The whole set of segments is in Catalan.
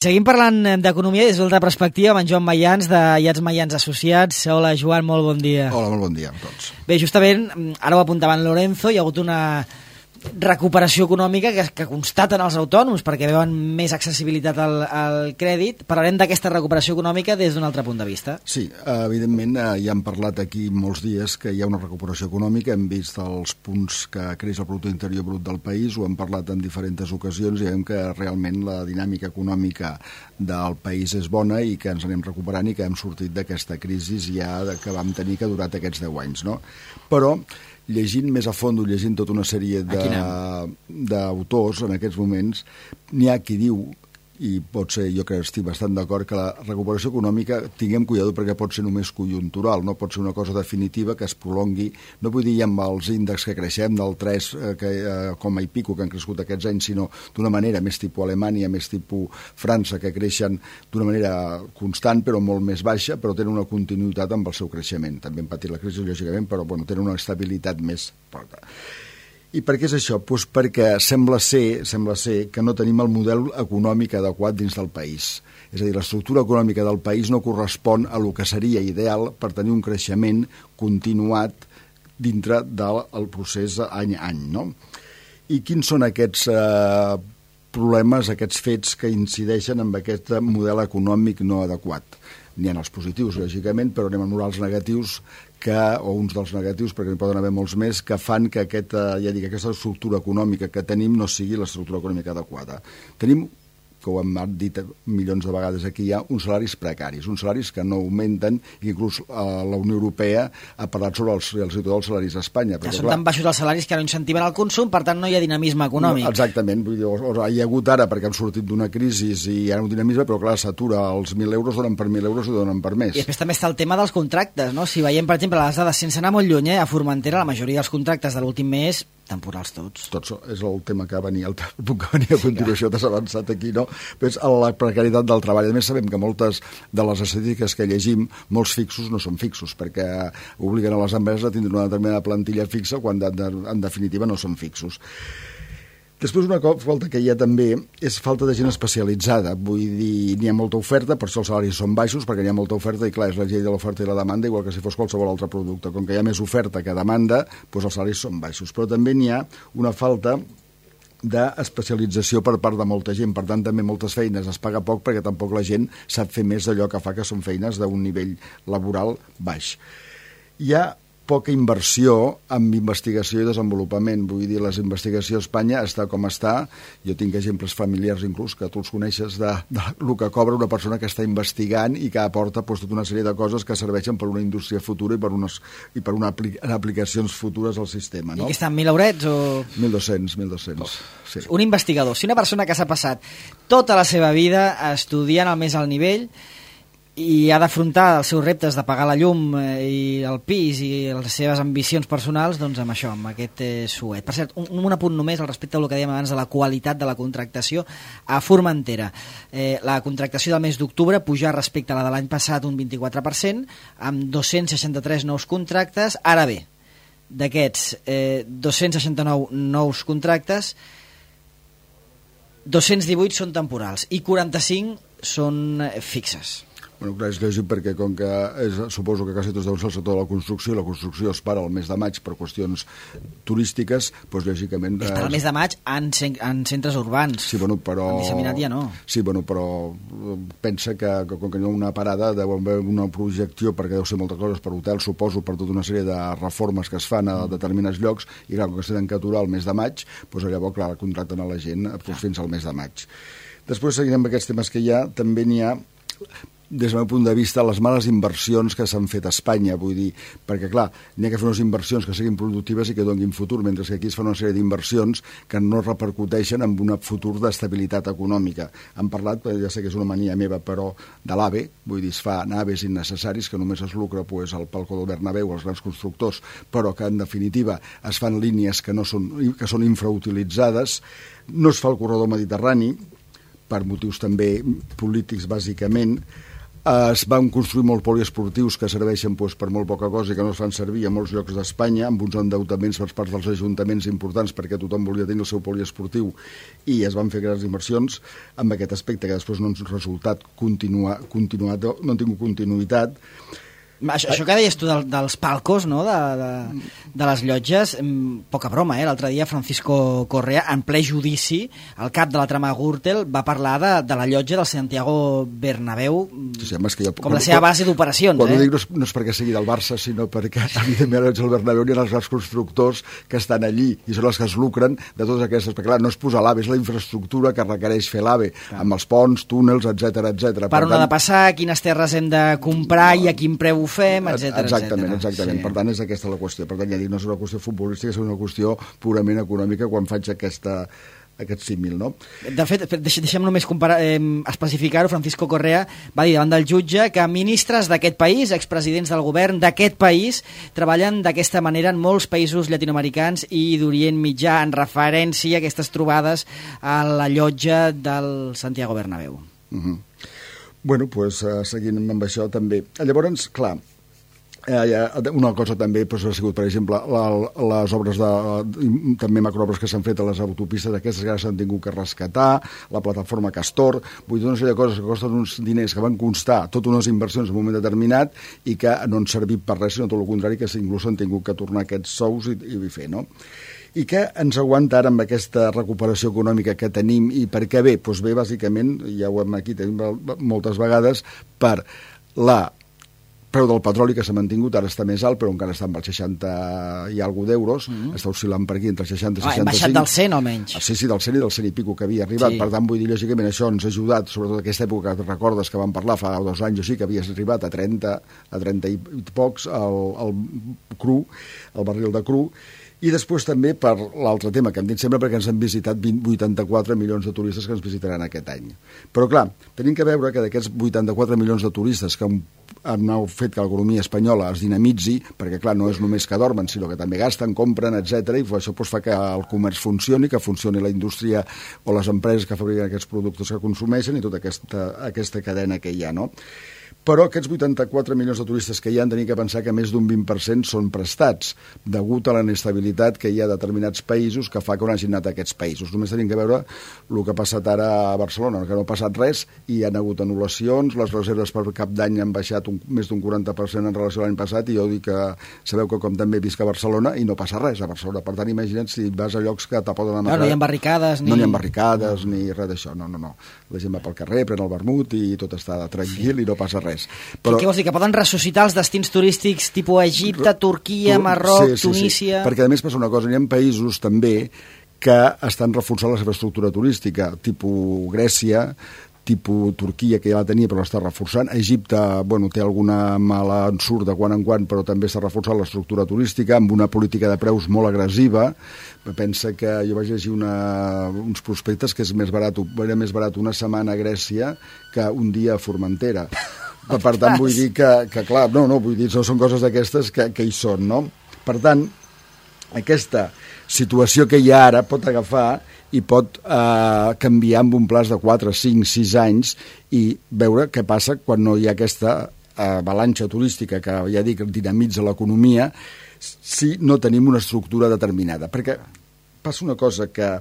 Seguim parlant d'economia des d'altra perspectiva amb en Joan Mayans, de IATS Mayans Associats. Hola, Joan, molt bon dia. Hola, molt bon dia a tots. Bé, justament, ara ho apuntava en Lorenzo, hi ha hagut una recuperació econòmica que constaten els autònoms perquè veuen més accessibilitat al crèdit. Parlarem d'aquesta recuperació econòmica des d'un altre punt de vista. Sí, evidentment ja hem parlat aquí molts dies que hi ha una recuperació econòmica, hem vist els punts que creix el producte interior brut del país, ho hem parlat en diferents ocasions i veiem que realment la dinàmica econòmica del país és bona i que ens anem recuperant i que hem sortit d'aquesta crisi ja que vam tenir que ha durat aquests 10 anys, no? Però llegint més a fons, llegint tota una sèrie d'autors en aquests moments, n'hi ha qui diu, i pot ser, jo que estic bastant d'acord, que la recuperació econòmica tinguem cuidado perquè pot ser només conjuntural, no pot ser una cosa definitiva que es prolongui, no vull dir ja amb els índexs que creixem del 3 coma i pico que han crescut aquests anys, sinó d'una manera més tipus Alemanya, més tipus França, que creixen d'una manera constant però molt més baixa, però tenen una continuïtat amb el seu creixement. També han patit la crisi, lògicament, però bueno, tenen una estabilitat més forta. I per què és això? Pues perquè sembla ser que no tenim el model econòmic adequat dins del país. És a dir, l'estructura econòmica del país no correspon a lo que seria ideal per tenir un creixement continuat dintre del procés any a any, no? I quins són aquests problemes, aquests fets que incideixen en aquest model econòmic no adequat? N'hi ha els positius, lògicament, però anem a els negatius, o uns dels negatius, perquè n'hi poden haver molts més, que fan que aquesta estructura econòmica que tenim no sigui l'estructura econòmica adequada. Tenim, que ho hem dit milions de vegades aquí, hi ha uns salaris precaris, uns salaris que no augmenten, i inclús la Unió Europea ha parlat sobre els salaris a Espanya. Que són tan baixos els salaris que no incentiven el consum, per tant no hi ha dinamisme econòmic. No, exactament, vull dir, hi ha hagut ara perquè hem sortit d'una crisi i hi ha un dinamisme, però clar, s'atura, els 1.000 euros donen per 1.000 euros i donen per més. I després també està el tema dels contractes, no? Si veiem, per exemple, les dades sense anar molt lluny, a Formentera la majoria dels contractes de l'últim mes temporals tots. Tots, és el tema que venia, el punt que venia a continuació, t'has avançat aquí, no? Però és la precarietat del treball. A més, sabem que moltes de les estadístiques que llegim, molts fixos no són fixos, perquè obliguen a les empreses a tindre una determinada plantilla fixa quan en definitiva no són fixos. Després una falta que hi ha també és falta de gent especialitzada, vull dir, n'hi ha molta oferta, per això els salaris són baixos, perquè n'hi ha molta oferta i clar, és la llei de l'oferta i la demanda, igual que si fos qualsevol altre producte. Com que hi ha més oferta que demanda, doncs els salaris són baixos. Però també n'hi ha una falta d'especialització per part de molta gent, per tant també moltes feines es paga poc perquè tampoc la gent sap fer més d'allò que fa, que són feines d'un nivell laboral baix. Hi ha poca inversió en investigació i desenvolupament. Vull dir, les investigacions a Espanya està com està. Jo tinc exemples familiars inclús que tu els coneixes del que cobra una persona que està investigant i que aporta tota una sèrie de coses que serveixen per una indústria futura i per aplicacions futures al sistema. No? I que estan 1.000 eurets o...? 1.200. Sí. Un investigador, si una persona que s'ha passat tota la seva vida estudiant al més alt nivell i ha d'afrontar els seus reptes de pagar la llum i el pis i les seves ambicions personals, doncs amb això, amb aquest suet. Per cert, un apunt només al respecte del que dèiem abans de la qualitat de la contractació a Formentera. La contractació del mes d'octubre puja respecte a la de l'any passat un 24%, amb 263 nous contractes. Ara bé, d'aquests 269 nous contractes, 218 són temporals i 45 són fixes. Bueno, clar, és lògic perquè com que suposo que quasi tots deuen ser el sector de la construcció es para al mes de maig per qüestions turístiques, doncs lògicament... Es para el mes de maig en centres urbans. Sí, bueno, però... En disseminat ja no. Sí, bueno, però pensa que com que hi ha una parada, deu haver una projecció, perquè deu ser moltes coses per hotel, suposo, per tota una sèrie de reformes que es fan a determinats llocs, i clar, com que s'han d'aturar al mes de maig, doncs llavors, clar, contracten a la gent fins al mes de maig. Després, seguint amb aquests temes que hi ha, també n'hi ha des del meu punt de vista, les males inversions que s'han fet a Espanya, vull dir, perquè clar, n'hi ha que fer unes inversions que siguin productives i que donin futur, mentre que aquí es fan una sèrie d'inversions que no repercuteixen en un futur d'estabilitat econòmica. Han parlat, ja sé que és una mania meva, però de l'AVE, vull dir, es fa naves innecessaris que només es lucra el Palco del Bernabéu, els grans constructors, però que en definitiva es fan línies que són infrautilitzades, no es fa el corredor mediterrani, per motius també polítics bàsicament. Es van construir molts poliesportius que serveixen per molt poca cosa i que no es fan servir a molts llocs d'Espanya, amb uns endeutaments per part dels ajuntaments importants perquè tothom volia tenir el seu poliesportiu i es van fer grans inversions amb aquest aspecte que després no han resultat continuat, no han tingut continuïtat. Això que deies tu dels palcos, no? de les llotges, poca broma, l'altre dia Francisco Correa, en ple judici, el cap de la trama Gürtel, va parlar de la llotja del Santiago Bernabéu com la seva base d'operacions. Quan ho dic no és perquè sigui del Barça, sinó perquè evidentment el Bernabéu hi ha els grans constructors que estan allí i són els que es lucren de totes aquestes, perquè clar, no és posar l'AVE, és la infraestructura que requereix fer l'AVE, amb els ponts, túnels, etc. Per on ha de passar, quines terres hem de comprar i a quin preu fem, etc. Exactament. Sí. Per tant, és aquesta la qüestió. Per tant, ja dic, no és una qüestió futbolística, és una qüestió purament econòmica quan faig aquest símil, no? De fet, deixem només especificar-ho, Francisco Correa va dir davant del jutge que ministres d'aquest país, expresidents del govern d'aquest país, treballen d'aquesta manera en molts països llatinoamericans i d'Orient Mitjà, en referència a aquestes trobades a la llotja del Santiago Bernabéu. Bueno, doncs seguint amb això també. Llavors, clar, una cosa també ha sigut, per exemple, les obres també macroobres que s'han fet a les autopistes, aquestes que s'han tingut que rescatar, la plataforma Castor, vull dir, una sèrie de coses que costen uns diners que van constar totes unes inversions en un moment determinat i que no han servit per res, sinó tot el contrari, que inclús han tingut que tornar aquests sous i fer, no? I què ens aguanta ara amb aquesta recuperació econòmica que tenim i per què bé? Doncs bé, bàsicament, ja ho hem aquí tenim moltes vegades, per la preu del petroli que s'ha mantingut, ara està més alt, però encara està amb els 60 i alguna d'euros, està oscil·lant per aquí entre 60 i 65. Hem baixat del 100 almenys. Sí, del 100 i del 100 i pico que havia arribat, per tant, vull dir, lògicament, això ens ha ajudat, sobretot aquesta època que recordes que vam parlar fa 2 anys o així, que havies arribat a 30 i pocs, el cru, el barril de cru. I després també per l'altre tema que hem dit sempre, perquè ens han visitat 84 milions de turistes que ens visitaran aquest any. Però clar, tenim que veure que d'aquests 84 milions de turistes que han fet que l'economia espanyola es dinamitzi, perquè clar, no és només que dormen, sinó que també gasten, compren, etc. I això fa que el comerç funcioni, que funcioni la indústria o les empreses que fabriquen aquests productes que consumeixen i tota aquesta cadena que hi ha, no? Però aquests 84 milions de turistes que hi ha, tenim que pensar que més d'un 20% són prestats, degut a la inestabilitat que hi ha a determinats països que fa que no hagin anat a aquests països. Només tenim que veure el que ha passat ara a Barcelona, que no ha passat res i hi ha hagut anul·lacions, les reserves per cap d'any han baixat més d'un 40% en relació a l'any passat i jo dic que sabeu que com també visc a Barcelona i no passa res a Barcelona. Per tant, imagina't si vas a llocs que te poden amagar. No hi ha barricades ni... No hi ha barricades ni res d'això, no. La gent va pel carrer, pren el vermut i tot està tranquil i no passa res. Però... Què vols dir? Que poden ressuscitar els destins turístics tipus Egipte, Turquia, Marroc, Tunísia... Sí. Perquè a més passa una cosa, hi ha països també que estan reforçant la seva estructura turística, tipus Grècia, tipus Turquia, que ja la tenia però l'està reforçant. Egipte, té alguna mala ensurt de quan en quan, però també està reforçant l'estructura turística amb una política de preus molt agressiva. Pensa que jo vaig llegir uns prospectes que era més barat una setmana a Grècia que un dia a Formentera. Per tant, vull dir que clar, vull dir, no són coses d'aquestes que hi són, no? Per tant, aquesta situació que hi ha ara pot agafar i pot canviar amb un plaç de 4, 5, 6 anys i veure què passa quan no hi ha aquesta avalanxa turística que, ja dic, dinamitza l'economia si no tenim una estructura determinada. Perquè passa una cosa que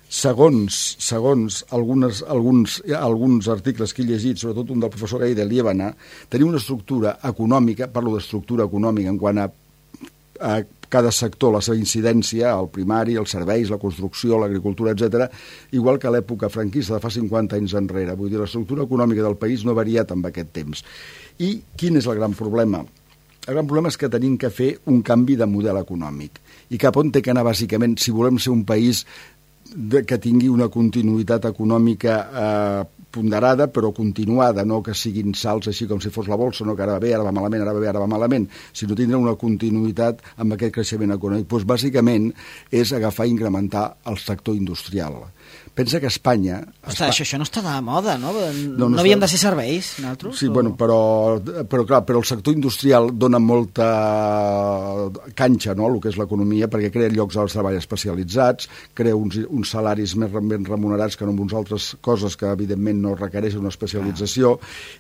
segons alguns articles que he llegit, sobretot un del professor Gai de Liébana, tenim una estructura econòmica, parlo d'estructura econòmica en quant a cada sector, la seva incidència, el primari, els serveis, la construcció, l'agricultura, etc., igual que a l'època franquista de fa 50 anys enrere. Vull dir, l'estructura econòmica del país no ha variat amb aquest temps. I quin és el gran problema? El gran problema és que tenim que fer un canvi de model econòmic. I cap on té que anar, bàsicament, si volem ser un país que tingui una continuïtat econòmica ponderada, però continuada, no que siguin salts així com si fos la bolsa, no que ara va bé, ara va malament, ara va bé, ara va malament, sinó tindre una continuïtat amb aquest creixement econòmic. Doncs bàsicament és agafar i incrementar el sector industrial. Pensa que Espanya... Ostres, això no està de moda, no? No havíem de ser serveis, nosaltres? Sí, bueno, però clar, però el sector industrial dona molta canxa, no?, el que és l'economia, perquè crea llocs de treball especialitzats, crea uns salaris més ben remunerats que no en uns altres coses que, evidentment, no requereixen una especialització,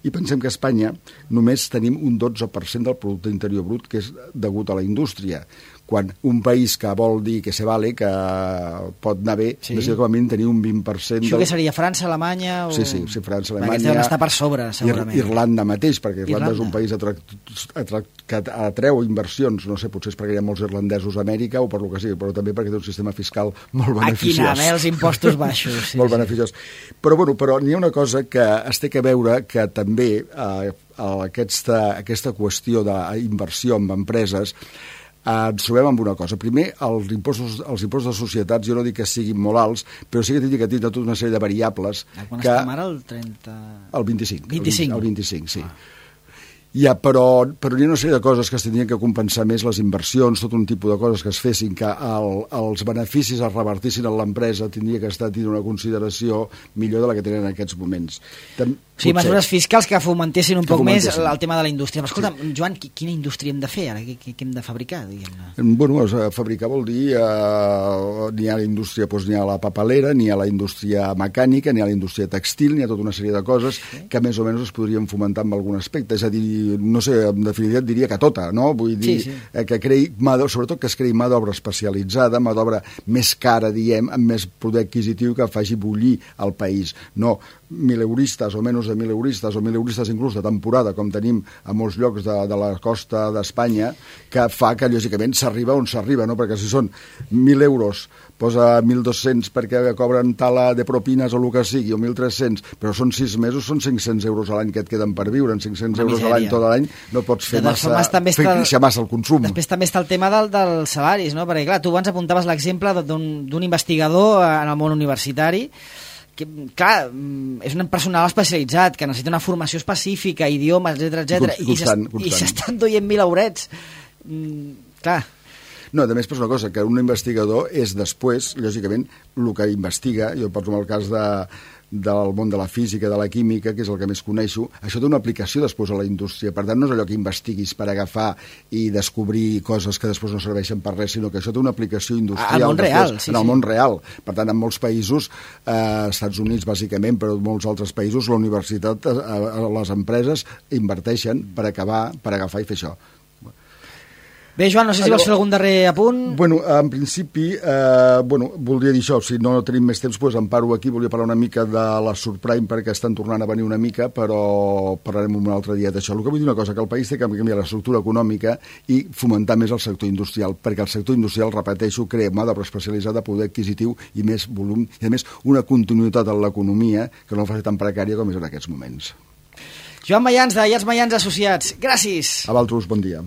i pensem que a Espanya només tenim un 12% del producte interior brut que és degut a la indústria, quan un país que vol dir que se vale, que pot anar bé, necessita com a mínim tenir un 20%... Això que seria França, Alemanya... O... Sí, França, Alemanya... Perquè deuen estar per sobre, segurament. Irlanda mateix, perquè Irlanda és un país que atreu inversions, no sé, potser és perquè hi ha molts irlandesos a Amèrica o per lo que sigui, però també perquè té un sistema fiscal molt beneficiós. Aquí anava, els impostos baixos. Molt beneficiós. Però n'hi ha una cosa que es té que veure, que també aquesta qüestió d'inversió en empreses ens trobem amb una cosa. Primer, els impostos de societats, jo no dic que siguin molt alts, però sí que tindria que tenir tota una sèrie de variables. Quan estem ara, el 30... El 25. 25? El 25, sí. Ja, però hi ha una sèrie de coses que es tindrien que compensar més, les inversions, tot un tipus de coses que es fessin, que els beneficis es revertissin a l'empresa, tindria que estar tenint una consideració millor de la que tenen en aquests moments. Sí, mesures fiscals que fomentessin un poc més el tema de la indústria. Però escolta, Joan, quina indústria hem de fer ara? Què hem de fabricar, diguem-ne? Bueno, fabricar vol dir n'hi ha la indústria, doncs n'hi ha la papelera, n'hi ha la indústria mecànica, n'hi ha la indústria textil, n'hi ha tota una sèrie de coses que més o menys es podrien fomentar en algun aspecte. És a dir, no sé, en definitiva diria que tota, no? Vull dir, que creï, sobretot que es creï mà d'obra especialitzada, mà d'obra més cara, diem, amb més poder adquisitiu que faci bullir el país. No 1.000 euristes o menys de 1.000 euristes o 1.000 euristes inclús de temporada, com tenim a molts llocs de la costa d'Espanya, que fa que, lògicament, s'arriba on s'arriba, no? Perquè si són 1.000 euros, posa 1.200 perquè cobren tala de propines o el que sigui, o 1.300, però són 6 mesos, són 500 euros a l'any que et queden per viure, en 500 euros a l'any tot l'any no pots fer massa el consum. Després també està el tema dels salaris, no? Perquè, clar, tu abans apuntaves l'exemple d'un investigador en el món universitari que, clar, és un personal especialitzat, que necessita una formació específica, idiomes, etc. I s'estan duient 1.000 eurets. Clar. No, a més, és una cosa, que un investigador és després, lògicament, el que investiga, jo poso el cas del món de la física, de la química, que és el que més coneixo, això té una aplicació després a la indústria. Per tant, no és allò que investiguis per agafar i descobrir coses que després no serveixen per res, sinó que això té una aplicació industrial. Al món real, en el món real. Per tant, en molts països, Estats Units bàsicament, però en molts altres països, la universitat, les empreses inverteixen per agafar i fer això. Bé, Joan, no sé si vols fer algun darrer apunt. Bueno, en principi, voldria dir això, si no tenim més temps, doncs em paro aquí, volia parlar una mica de la Subprime perquè estan tornant a venir una mica, però parlarem un altre dia d'això. El que vull dir una cosa, que el país té que canviar l'estructura econòmica i fomentar més el sector industrial, perquè el sector industrial, repeteixo, crea mà d'obra especialitzada, poder adquisitiu i més volum, i a més una continuïtat en l'economia que no fa tan precària com és en aquests moments. Joan Mayans, de Mayans Associats, gràcies. A vosaltres, bon dia.